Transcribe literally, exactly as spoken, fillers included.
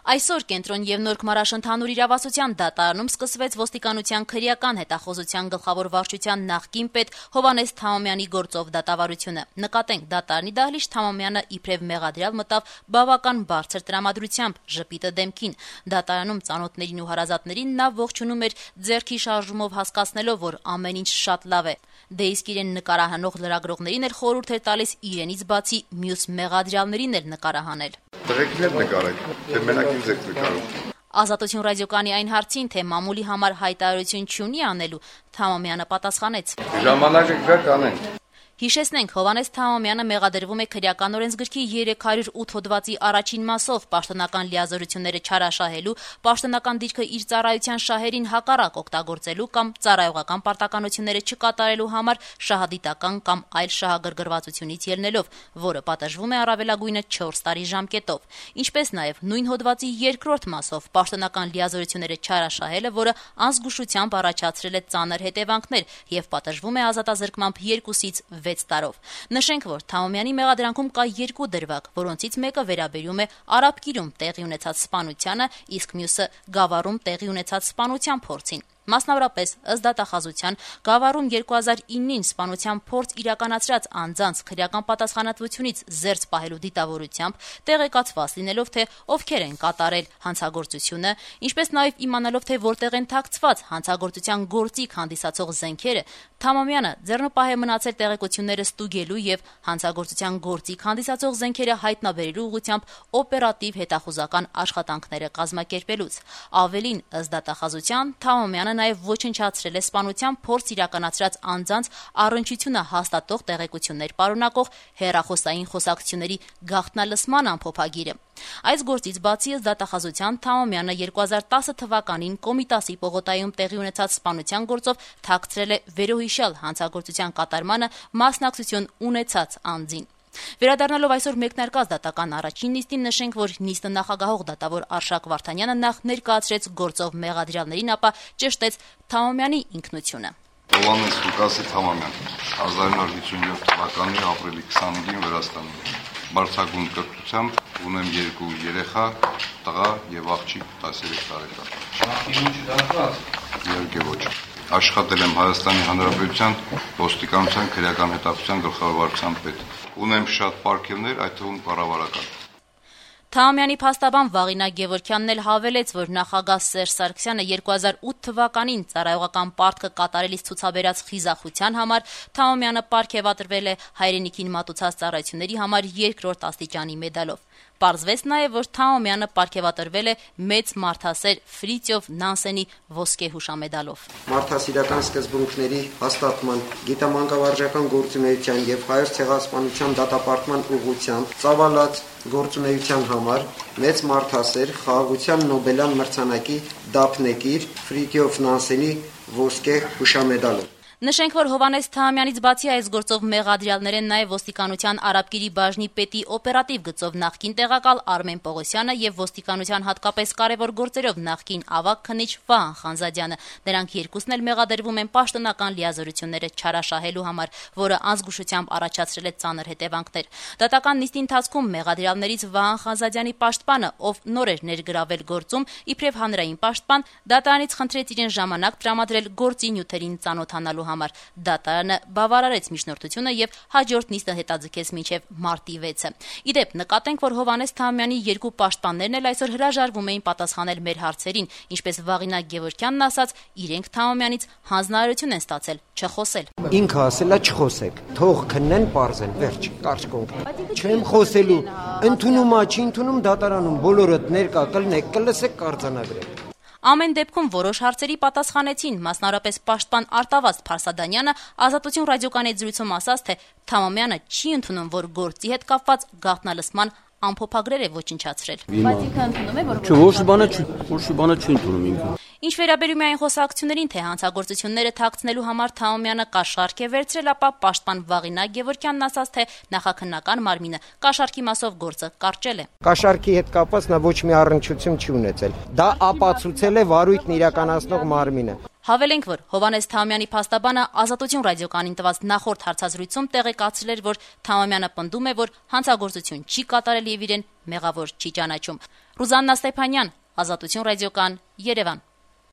Այսօր Կենտրոն եւ Նոր Քմարաշ ընդհանուր իրավասության դատարանում սկսվեց ոստիկանության քրեական հետախուզության գլխավոր վարչության նախկին պետ Հովհաննես Թամամյանի գործով դատավարությունը։ Նկատենք, դատարանի դահլիճ Թամամյանը իբրև մեղադրյալ մտավ բավական բարձր տրամադրությամբ, ժպիտը դեմքին։ Դատարանում ծանոթներին ու հարազատներին նա ողջունում էր ձեռքի շարժումով, հասկացնելով, որ ամեն ինչ շատ լավ է։ Դե իսկ իրեն նկարահանող լրագրողներին էլ խորհուրդ էր տալիս իրենից բացի մյուս մեղադրյալներին էլ նկարահանել։ Տղեկներ նկարեք, թե մենակ ինձ եք նկարում։ Ազատություն ռադիոկայանի այն հարցին, թե մամուլի համար հայտարարություն չունի անելու, Թամամյանը պատասխանեց. Ժամանակը գա կանենք։ Հիշեցնենք, Հովհաննես Թամամյանը մեղադրվում է քրեական օրենսգրքի երեք հարյուր ութ հոդվածի առաջին մասով պաշտոնական լիազորությունները չարաշահելու, պաշտոնական դիրքը իր ծառայության շահերին հակառակ օգտագործելու կամ ծառայողական պարտականությունները չկատարելու համար շահադիտական կամ այլ շահագրգռվածությունից ելնելով, որը պատժվում է առավելագույնը չորս տարի ժամկետով, ինչպես նաև նույն հոդվածի երկրորդ մասով պաշտոնական լիազորությունները չարաշահելը, որը անզգուշությամբ առաջացրել է ծանր հետևանքներ եւ պատժվում է ազատազրկմամբ երկուսից վեց տարով։ Նշենք, որ Թամամյանի մեղադրանքում կա երկու դրվագ, որոնցից մեկը վերաբերում է Արաբկիրում տեղի ունեցած սպանությանը, իսկ մյուսը Գավառում տեղի ունեցած սպանության փորձին։ Մասնավորապես, ըստ դատախազության, Գավառում երկու հազար իննին սպանության փորձ իրականացրած անձանց քրեական պատասխանատվությունից զերծ պահելու դիտավորությամբ, տեղեկացված լինելով, թե ովքեր են կատարել հանցագործությունը, ինչպես նաև իմանալով, թե որտեղ են թաքցված հանցագործության գործիք հանդիսացող զենքերը, Թամամյանը ձեռնպահ է մնացել տեղեկությունները ստուգելու եւ հանցագործության գործիք հանդիսացող զենքերը հայտնաբերելու ուղղությամբ օպերատիվ հետախուզական աշխատանքները կազմակերպելուց։ Ավելին, ըստ դատախազության, Թամամյանը նաև ոչնչացրել է սպանության փորձ իրականացրած անձանց առնչությունը հաստատող տեղեկություններ պարունակող հեռախոսային խոսակցությունների գաղտնալսման ամփոփագիրը։ Այս գործից բացի, ըստ դատախազության, Թամամյանը երկու հազար տասը թվականին Կոմիտասի պողոտայում տեղի ունեցած սպանության գործով թաքցրել է վերոհիշյալ հանցագործության կատարմանը մասնակցություն ունեցած անձին։ Վերադառնալով այսօր մեկնարկած դատական առաջին նիստին, նշենք, որ նիստը նախագահող դատավոր Արշակ Վարդանյանը նախ ներկայացրեց գործով մեղադրյալներին, ապա ճշտեց Թամամյանի ինքնությունը։ Հովհաննես Լուկասի Թամամյան, հազար նոր հիսունյոթ թվականի ապրիլի քսանինին Վրաստանում։ Բարձրագույն կրթությամբ, ունեմ երկու երեխա, տղա եւ աղջիկ տասներեք տարեկան։ Աղջիկը դարձած։ Իհարկե ոչ։ Աշխատել եմ Հայաստանի Հանրապետության ոստիկանության քրեական հետախուզության գլխավոր վարչության պետ։ Ունեմ շատ պարգևներ, այդ թվում կառավարական։ Թամամյանի փաստաբան Վաղինա Գևորգյանն էլ հավելեց, որ նախագահ Սերժ Սարգսյանը երկու հազար ութ թվականին ծառայողական պարտքը կատարելիս ցուցաբերած խիզախության համար Թամամյանը պարգևատրվել է հայրենիքին մատուցած ծառայությունների համար երկրորդ աստիճանի մեդալով։ Պարզվեց նաև, որ Թամամյանը պարգևատրվել է մեծ մարդասեր Ֆրիտյոֆ Նանսենի ոսկե հուշամեդալով։ Մարդասիրական սկզբունքների հաստատման, գիտամանկավարժական գործունեության եւ հայոց ցեղասպանության դատապարտման ուղղությամբ ծավալած գործունեության համար մեծ մարդասեր խաղաղության Նոբելյան մրցանակի դափնեկիր Ֆրիտյոֆ Նանսենի ոսկե հուշամեդալով։ Նշենք, որ Հովհաննես Թամամյանից բացի այս գործով մեղադրյալներ են նաև ոստիկանության Արաբկիրի բաժնի պետի օպերատիվ գծով նախկին տեղակալ Արմեն Պողոսյանը եւ ոստիկանության հատկապես կարևոր գործերով նախկին ավագ քննիչ Վահան Խանզադյանը։ Նրանք երկուսն էլ մեղադրվում են պաշտոնական լիազորությունները չարաշահելու համար, որը անզգուշությամբ առաջացրել է ծանր հետևանքներ։ Դատական նիստի ընթացքում մեղադրյալներից Վահան Խանզադյանի պաշտպանը, ով նոր էր ներգրավել գործում, իբրև հանրային պաշտպան, դատարանից խնդրեց իրեն ժամանակ տրամադրել գործի նյութերին ծանոթանալու համար։ Դատարանը բավարարեց միջնորդությունը եւ հաջորդ նիստը հետաձգեց մինչեւ մարտի վեցը։ Իդեպ, նկատենք, որ Հովհաննես Թամամյանի երկու պաշտպաններն էլ այսօր հրաժարվում էին պատասխանել մեր հարցերին, ինչպես Վաղինա Գևորգյանն ասաց, իրենք Թամամյանից հանձնարարություն են ստացել չխոսել։ Ինքը ասել է չխոսեք, թող քննեն, պարզեն, վերջ, կարճ կոնկրետ։ Չեմ խոսելու, ընդունում ա, չի ընդունում դատարանում, բոլորդ ներկա կլնեք, կլսեք, կարձանագրեք։ Ամեն դեպքում որոշ հարցերի պատասխանեցին, մասնավորապես պաշտպան Արտավազդ Փարսադանյանը Ազատություն ռադիոկայանի զրույցում ասաց, թե Թամամյանը չի ընդունում, որ գործի հետ կապված գաղտնալսման ամփոփագրեր է ոչնչացրել։ Բայց ինքը ընդունում է, որ ոչ բանը չի, ոչ բանը չի ընդունում ինքը։ Ինչ վերաբերում է այն խոսակցություններին, թե հանցագործությունները թաքցնելու համար Թամամյանը կաշառք է վերցրել, ապա պաշտպան Վաղինա Գևորգյանն ասաց, թե նախաքննական մարմինը կաշառքի մասով գործը կարճել է։ Կաշառքի հետ կապված նա ոչ մի առնչություն չի ունեցել։ Դա ապացուցել է վարույթն իրականացնող մարմինը։ Հավելենք, որ Հովհաննես Թահամյանի փաստաբանը Ազատություն ռադիոկայանին տված նախորդ հարցազրույցում տեղեկացրել էր, որ Թահամյանը պնդում է, որ հանցագործություն չի կատարել եւ իրեն մեղավոր չի ճանաչում։ Ռուզաննա Ստեփանյան, Ազատություն ռադիոկայան, Երևան։